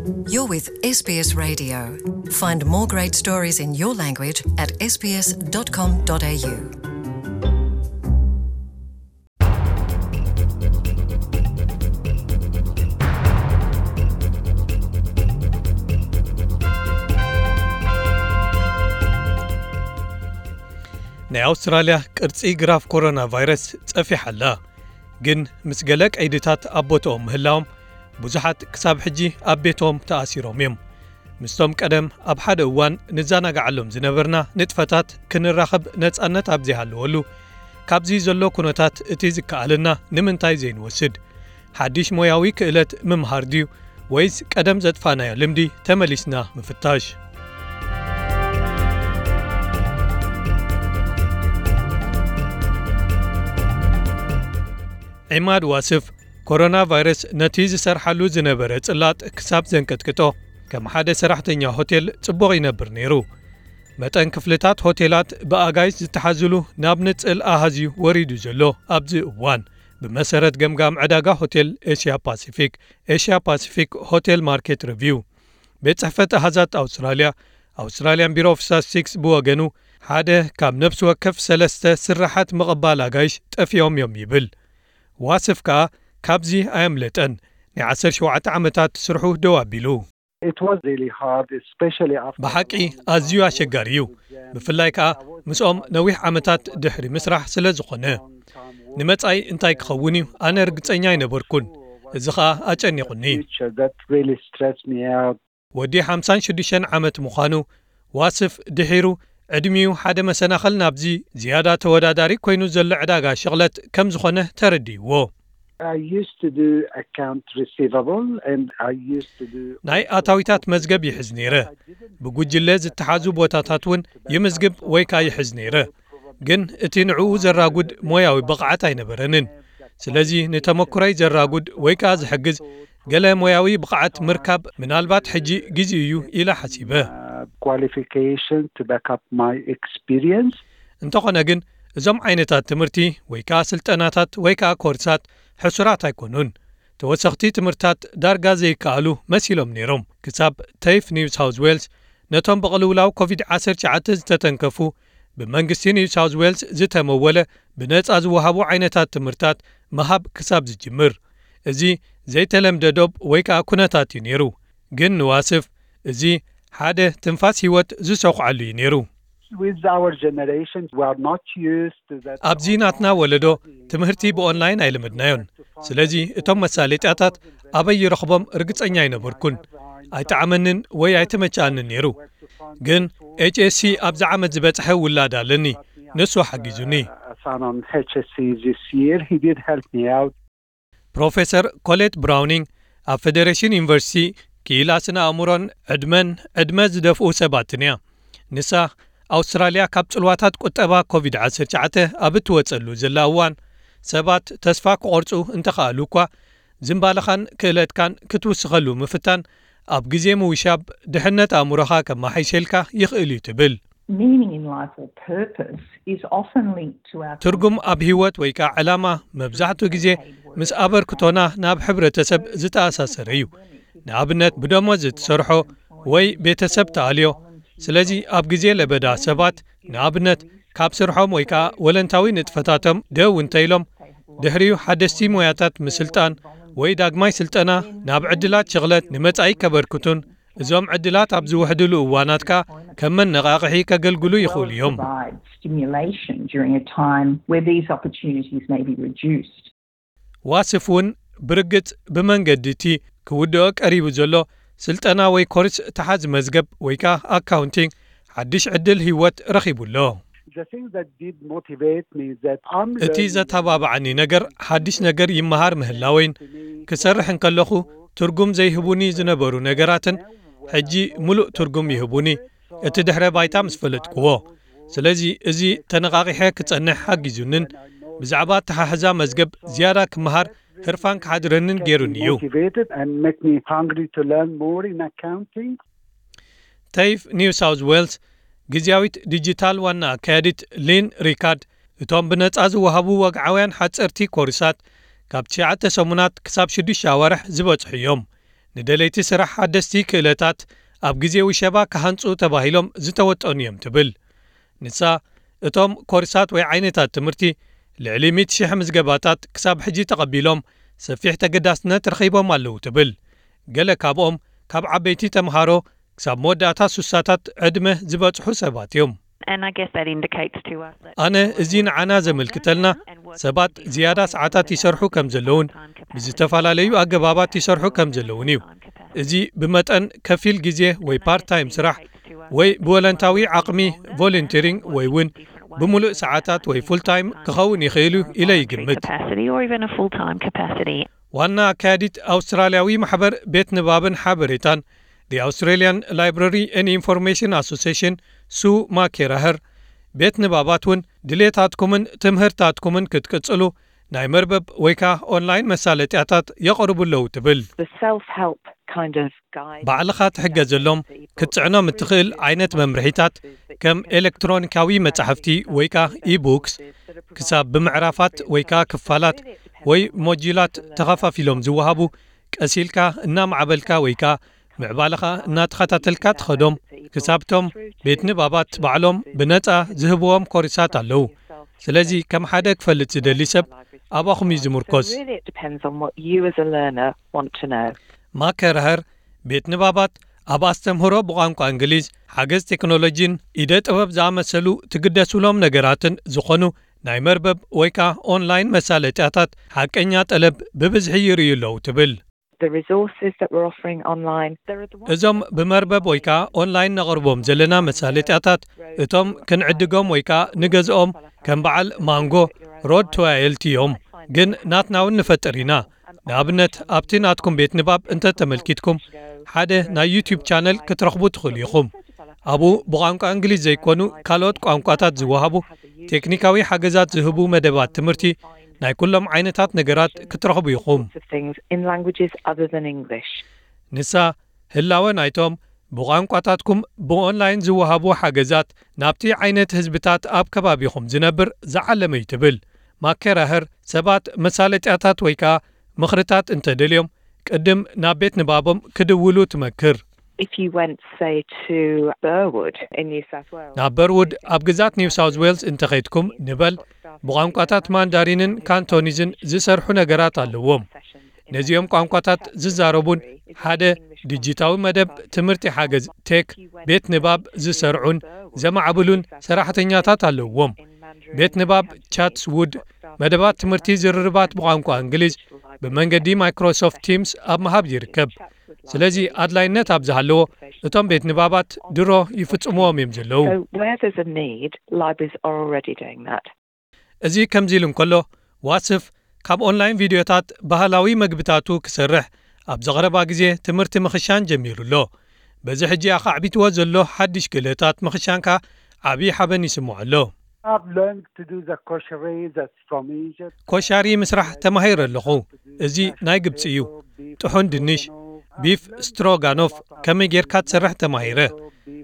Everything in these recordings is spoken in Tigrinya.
You're with S B S Radio. Find more great stories in your language at S B S dot com dot A U. ናይ ኣውስትራልያ ቅርጺ ግራፍ ኮሮና ቫይረስ ጸፊሓ ኣላ። ግን ምስ ገለ ቀይድታት ኣብ ቦታኦም ምህላዎም፣ ብዙሓት ክሳብ ሕጂ ኣብ ቤቶም ተኣሲሮም እዮም። ምስቶም ቀደም ኣብ ሓደ እዋን ንዘናግዓሎም ዝነበርና ንጥፈታት ክንራኸብ ነጻነት ኣብ ዘይሃለወሉ፣ ካብዚ ዘሎ ኩነታት እቲ ዝከኣለና ንምንታይ ዘይንወስድ? ሓድሽ ሞያዊ ክእለት ምምሃር ድዩ? ወይስ ቀደም ዘጥፋእናዮ ልምዲ ተመሊስና ምፍታሽ? ዒማድ ዋስፍ፣ ኮሮና ቫይረስ ነቲ ዝሰርሓሉ ዝነበረ ጽላጥ ክሳብ ዘንቀጥቅጦ፣ ከም ሓደ ሰራሕተኛ ሆቴል ጽቡቕ ይነብር ነይሩ። መጠን ክፍልታት ሆቴላት ብኣጋይሽ ዝተሓዝሉ ናብ ንጽል ኣሃዝ እዩ ወሪዱ ዘሎ ኣብዚ እዋን። ብመሰረት ገምጋም ዕዳጋ ሆቴል ኤሽያ ፓሲፊክ፣ ኤሽያ ፓሲፊክ ሆቴል ማርኬት ሪቪው፣ ቤት ጽሕፈት ኣሃዛት ኣውስትራልያ፣ ኣውስትራልያን ቢሮ ኦፍ ስታቲስቲክስ ብወገኑ፣ ሓደ ካብ ነፍሲ ወከፍ ሰለስተ ስራሓት ምቕባል ኣጋይሽ ጠፊኦም እዮም ይብል። ዋስፍ ከኣ ካብዚ ኣየምለጠን። ናይ ዓሰርተ ሸውዓተ ዓመታት ስርሑ ደው ኣቢሉ። It was really hard, especially after ብሓቂ ኣዝዩ ኣሸጋሪ እዩ፣ ብፍላይ ከኣ ምስኦም ነዊሕ ዓመታት ድሕሪ ምስራሕ ስለ ዝኾነ። ንመጻኢ እንታይ ክኸውን እዩ ኣነ ርግጸኛ ኣይነበርኩን። እዚ ኸኣ ኣጨኒቑኒ። Future that really stressed me out. ወዲ ሓምሳን ሽዱሽተን ዓመት ምዃኑ ዋስፍ ድሒሩ፣ ዕድሚኡ ሓደ መሰናኽል ናብዚ ዝያዳ ተወዳዳሪ ኮይኑ ዘሎ ዕዳጋ ሽቕለት ከም ዝኾነ ተረዲእዎ። I used to do account receivable and I used to do ናይ ኣታዊታት መዝገብ ይሕዝ ነይረ። ብጉጅለ ዝተሓዙ ቦታታት እውን ይምዝግብ ወይ ከኣ ይሕዝ ነይረ። ግን እቲ ንዕኡ ዘራጉድ ሞያዊ ብቕዓት ኣይነበረንን። ስለዚ ንተመኩሮይ ዘራጉድ ወይ ከኣ ዝሕግዝ ገለ ሞያዊ ብቕዓት ምርካብ ምናልባት ሕጂ ግዜኡ እዩ ኢለ ሓሲበ። Qualification to back up my experience. እንተኾነ ግን እዞም ዓይነታት ትምህርቲ ወይ ከኣ ስልጠናታት ወይ ከኣ ኮርሳት ሕሱራት ኣይኮኑን። ተወሰኽቲ ትምህርታት ዳርጋ ዘይከኣሉ መሲሎም ነይሮም። ክሳብ ተይፍ ኒው ሳውዝ ዌልስ ነቶም ብቕልውላው ኮቪድ ዓሰርተ ትሽዓተ ዝተተንከፉ ብመንግስቲ ኒው ሳውዝ ዌልስ ዝተመወለ ብነጻ ዝወሃቡ ዓይነታት ትምህርታት ምሃብ ክሳብ ዝጅምር። እዚ ዘይተለምደ ዶብ ወይ ከኣ ኩነታት እዩ ነይሩ። ግን ንዋስፍ እዚ ሓደ ትንፋስ ህይወት ዝሰኹዓሉ እዩ ነይሩ። With our generation, we are not used to that. ኣብዚ ናትና ወለዶ ትምህርቲ ብኦንላይን ኣይለመድናዮን። ስለዚ እቶም መሳለጥያታት ኣበይ ይረኽቦም ርግጸኛ ኣይነበርኩን። ኣይጠዓመንን ወይ ኣይተመቸኣንን ነይሩ። ግን ኤች ኤስ ሲ ኣብዚ ዓመት ዝበጽሐ ውላድ ኣለኒ። ንሱ ሓጊዙኒ። A son on H S C this year, he did help me out. ፕሮፌሰር ኮሌት ብራውኒንግ ኣብ ፌደሬሽን ዩኒቨርሲቲ ክኢላ ስነ ኣእምሮን ዕድመን ዕድመ ዝደፍኡ ሰባትን እያ። ንሳ ኣውስትራልያ ካብ ጽልዋታት ቁጠባ ኮቪድ ዓሰርተ ትሽዓተ ኣብ እትወጸሉ ዘላ እዋን ሰባት ተስፋ ክቖርጹ እንተኸኣሉ እኳ ዝንባለኻን ክእለትካን ክትውስኸሉ ምፍታን ኣብ ግዜ ምውሻብ ድሕነት ኣእምሮኻ ከመሓይሸልካ ይኽእል እዩ ትብል። Meaning in life or purpose is often linked to our ትርጉም ኣብ ህይወት ወይ ከዓ ዕላማ መብዛሕትኡ ግዜ ምስ ኣበርክቶና ናብ ሕብረተሰብ ዝተኣሳሰረ እዩ። ንኣብነት ብደሞዝ እትሰርሖ ወይ ቤተሰብ ተኣልዮ። ስለዚ ኣብ ግዜ ለበዳ ሰባት ንኣብነት ካብ ስርሖም ወይ ከዓ ወለንታዊ ንጥፈታቶም ደው እንተኢሎም ድሕሪኡ ሓደስቲ ሞያታት ምስልጣን ወይ ዳግማይ ስልጠና ናብ ዕድላት ሽቕለት ንመጻኢ ከበርክቱን እዞም ዕድላት ኣብ ዝውሕድሉ እዋናት ከኣ ከም መነቓቕሒ ከገልግሉ ይኽእሉ እዮም። Provide stimulation during a time where these opportunities may be reduced. ዋስፍ እውን ብርግጽ ብመንገዲ እቲ ክውድኦ ቀሪቡ ዘሎ ስልጠና ወይ ኮርስ ተሓዝ መዝገብ ወይ ከኣ ኣካውንቲንግ ሓድሽ ዕድል ህይወት ረኺቡ ኣሎ። The thing that did motivate me is that I'm እቲ learning ዘተባብዓኒ ነገር ሓድሽ ነገር ይመሃር ምህላወይን ክሰርሕ እንከለኹ ትርጉም ዘይህቡኒ ዝነበሩ ነገራትን ሕጂ ምሉእ ትርጉም ይህቡኒ፣ እቲ ድሕረ ባይታ ምስ ፈለጥክዎ። ስለዚ እዚ ተነቓቒሐ ክጸንሕ ሓጊዙንን ብዛዕባ ኣተሓሕዛ መዝገብ ዝያዳ ክመሃር ህርፋን ክሓድረንን ገይሩኒ እዩ። Motivated and make me hungry to learn more in accounting. ተይፍ ኒው ሳውዝ ዌልስ ግዝያዊት ዲጂታል ዋና ኣካያዲት ሊን ሪካርድ፣ እቶም ብነጻ ዝወሃቡ ወግዓውያን ሓጸርቲ ኮርሳት ካብ ትሽዓተ ሰሙናት ክሳብ ሽዱሽተ ኣዋርሕ ዝበጽሑ እዮም። ንደለይቲ ስራሕ ሓደስቲ ክእለታት ኣብ ግዜ ውሸባ ክሃንጹ ተባሂሎም ዝተወጠኑ እዮም ትብል። ንሳ፣ እቶም ኮርሳት ወይ ዓይነታት ትምህርቲ ልዕሊ ሚእቲ ሺሕ ምዝገባታት ክሳብ ሕጂ ተቐቢሎም ሰፊሕ ተገዳስነት ረኺቦም ኣለዉ ትብል። ገለ ካብኦም ካብ ዓበይቲ ተምሃሮ ክሳብ መወዳእታ ሱሳታት ዕድመ ዝበጽሑ ሰባት እዮም። ኣነ እዚ ንዓና ዘመልክተልና ሰባት ዝያዳ ሰዓታት ይሰርሑ ከም ዘለውን ብዝተፈላለዩ ኣገባባት ይሰርሑ ከም ዘለውን እዩ። እዚ ብመጠን ከፊል ግዜ ወይ ፓርት ታይም ስራሕ ወይ ብወለንታዊ ዓቕሚ ቮለንቲሪንግ ወይ እውን ብምሉእ ሰዓታት ወይ ፉል ታይም ክኸውን ይኽእል እዩ ኢለ ይግምት። ዋና ኣካያዲት ኣውስትራልያዊ ማሕበር ቤት ንባብን ሓበሬታን፣ The Australian Library and Information Association፣ ሱ ማኬራህር፣ ቤት ንባባት እውን ድሌታትኩምን ትምህርታትኩምን ክትቅጽሉ ናይ መርበብ ወይ ከኣ ኦንላይን መሳለጥያታት የቕርቡ ኣለዉ ትብል። ባዕልኻ ትሕገዘሎም ክትጽዕኖም እትኽእል ዓይነት መምርሒታት ከም ኤሌክትሮኒካዊ መጻሕፍቲ ወይ ከኣ ኢቡክስ ክሳብ ብምዕራፋት ወይ ከኣ ክፋላት ወይ ሞጁላት ተኸፋፊሎም ዝወሃቡ ቀስ ኢልካ እናማዕበልካ ወይ ከኣ ምዕባለኻ እናተኸታተልካ ትኸዶም ክሳብቶም ቤት ንባባት ባዕሎም ብነጻ ዝህብዎም ኮርሳት ኣለዉ። ስለዚ ከም ሓደ ክፈልጥ ዝደሊ ሰብ ኣባኹም እዩ ዝምርኮስ። ማከራህር ቤት ንባባት ኣብ ኣስተምህሮ ብቋንቋ እንግሊዝ፣ ሓገዝ ቴክኖሎጂን ኢደ ጥበብ ዝኣመሰሉ ትግደሱሎም ነገራትን ዝኾኑ ናይ መርበብ ወይ ከኣ ኦንላይን መሳለጥያታት ሓቀኛ ጠለብ ብብዝሒ ይርእዩ ኣለዉ ትብል። እዞም ብመርበብ ወይ ከኣ ኦንላይን ነቕርቦም ዘለና መሳለጥያታት እቶም ክንዕድጎም ወይ ከኣ ንገዝኦም ከም በዓል ማንጎ ሮድ ቱ ኣየልቲ እዮም። ግን ናትና እውን ንፈጥር ኢና። ንኣብነት ኣብቲ ናትኩም ቤት ንባብ እንተ ተመልኪትኩም ሓደ ናይ ዩቲዩብ ቻነል ክትረኽቡ ትኽእሉ ኢኹም። ኣብኡ ብቋንቋ እንግሊዝ ዘይኮኑ ካልኦት ቋንቋታት ዝወሃቡ ቴክኒካዊ ሓገዛት ዝህቡ መደባት ትምህርቲ ናይ ኩሎም ዓይነታት ነገራት ክትረኽቡ ኢኹም። ንሳ ህላወ ናይቶም ብቋንቋታትኩም ብኦንላይን ዝወሃቡ ሓገዛት ናብቲ ዓይነት ህዝብታት ኣብ ከባቢኹም ዝነብር ዝዓለመ እዩ ትብል። ማኬራህር ሰባት መሳለጥያታት ወይ ከኣ ምኽርታት እንተደልዮም ቅድም ናብ ቤት ንባቦም ክድውሉ ትመክር። ናብ በርውድ ኣብ ግዛት ኒው ሳውዝ ዌልስ እንተኸይድኩም ንበል ብቋንቋታት ማንዳሪንን ካንቶኒዝን ዝሰርሑ ነገራት ኣለዎም። ነዚኦም ቋንቋታት ዝዛረቡን ሓደ ዲጂታዊ መደብ ትምህርቲ ሓገዝ ቴክ ቤት ንባብ ዝሰርዑን ዘማዕብሉን ሰራሕተኛታት ኣለዎም። ቤት ንባብ ቻትስውድ መደባት ትምህርቲ ዝርርባት ብቋንቋ እንግሊዝ ብመንገዲ ማይክሮሶፍት ቲምስ ኣብ ምሃብ ይርከብ። ስለዚ ኣድላይነት ኣብ ዝሃለዎ እቶም ቤት ንባባት ድሮ ይፍጽምዎም እዮም ዘለዉ። እዚ ከምዚ ኢሉ እንከሎ ዋስፍ ካብ ኦንላይን ቪድዮታት ባህላዊ መግብታቱ ክሰርሕ ኣብ ዘቕረባ ግዜ ትምህርቲ ምኽሻን ጀሚሩ ኣሎ። በዚ ሕጂ ኣኻዕቢትዎ ዘሎ ሓድሽ ክእለታት ምኽሻንካ ዓብዪ ሓበን ይስምዖ ኣሎ። ኮሻሪ ምስራሕ ተማሂረ ኣለኹ። እዚ ናይ ግብፂ እዩ። ጥሑን ድንሽ፣ ቢፍ ስትሮጋኖፍ ከመይ ጌርካ ትሰርሕ ተማሂረ።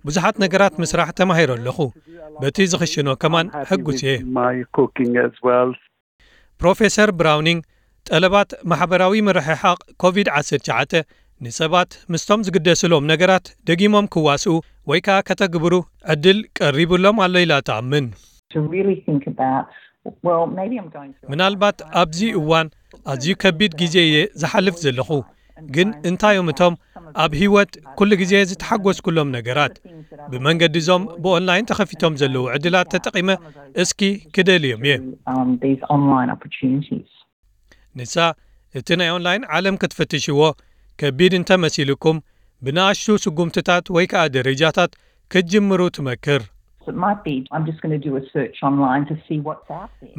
ብዙሓት ነገራት ምስራሕ ተማሂረ ኣለኹ። በቲ ዝኽሽኖ ከማን ሕጉስ እየ። ፕሮፌሰር ብራውኒንግ ጠለባት ማሕበራዊ ምርሕሓቕ ኮቪድ ዓሰርተ ትሽዓተ ንሰባት ምስቶም ዝግደስሎም ነገራት ደጊሞም ክዋስኡ ወይ ከኣ ከተግብሩ ዕድል ቀሪቡሎም ኣሎ ኢላ ትኣምን። ምናልባት ኣብዚ እዋን ኣዝዩ ከቢድ ግዜ እየ ዝሓልፍ ዘለኹ፣ ግን እንታይ እዮም እቶም ኣብ ህይወት ኩሉ ግዜ ዝተሓጎስኩሎም ነገራት? ብመንገዲ እዞም ብኦንላይን ተኸፊቶም ዘለዉ ዕድላት ተጠቒመ እስኪ ክደልዮም እየ። ንሳ እቲ ናይ ኦንላይን ዓለም ክትፍትሽዎ ከቢድ እንተመሲልኩም ብንኣሽቱ ስጉምትታት ወይ ከኣ ደረጃታት ክትጅምሩ ትመክር።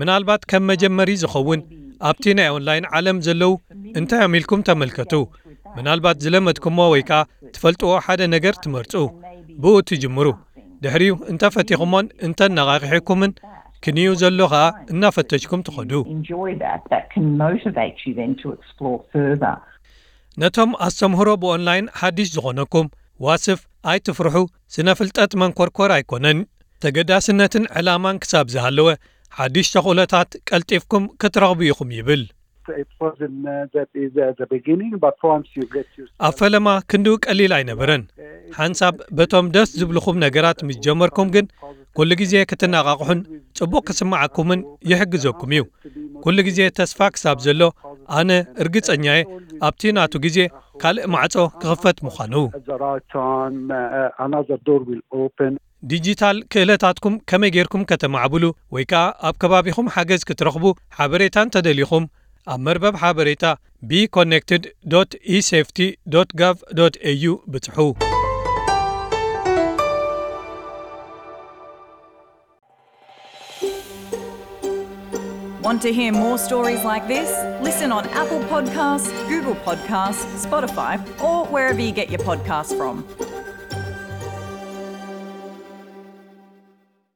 ምናልባት ከም መጀመሪ ዝኸውን ኣብቲ ናይ ኦንላይን ዓለም ዘለዉ እንታይ እዮም ኢልኩም ተመልከቱ። ምናልባት ዝለመድኩሞ ወይ ከኣ ትፈልጥዎ ሓደ ነገር ትመርጹ። ብኡ ትጅምሩ። ድሕሪኡ እንተፈቲኹሞን እንተነቓቒሕኩምን ክንዩ ዘሎ ከኣ እናፈተሽኩም ትኸዱ። ነቶም ኣስተምህሮ ብኦንላይን ሓድሽ ዝኾነኩም ዋስፍ ኣይትፍርሑ። ስነ ፍልጠት መንኮርኮር ኣይኮነን። ተገዳስነትን ዕላማን ክሳብ ዝሃለወ ሓድሽ ተኽእሎታት ቀልጢፍኩም ክትረኽቡ ኢኹም ይብል። it wasn't uh, that is uh, the beginning, but once you get used ኣብ ፈለማ ክንድኡ ቀሊል ኣይነበረን። ሓንሳብ በቶም ደስ ዝብልኹም ነገራት ምስ ጀመርኩም ግን ኩሉ ግዜ ክትነቓቕሑን ጽቡቕ ክስምዓኩምን ይሕግዘኩም እዩ። ኩሉ ግዜ ተስፋ ክሳብ ዘሎ ኣነ እርግጸኛ እየ ኣብቲ ናቱ ግዜ ካልእ ማዕጾ ክኽፈት ምዃኑ። at the right time, uh, another door will open. ዲጂታል ክእለታትኩም ከመይ ጌርኩም ከተማዕብሉ ወይ ከኣ ኣብ ከባቢኹም ሓገዝ ክትረኽቡ ሓበሬታ እንተደሊኹም ኣብ መርበብ ሓበሬታ be connected dot e safety dot gov dot a u ብጽሑ። Want to hear more stories like this? Listen on Apple Podcasts, Google Podcasts, Spotify, or wherever you get your podcasts from.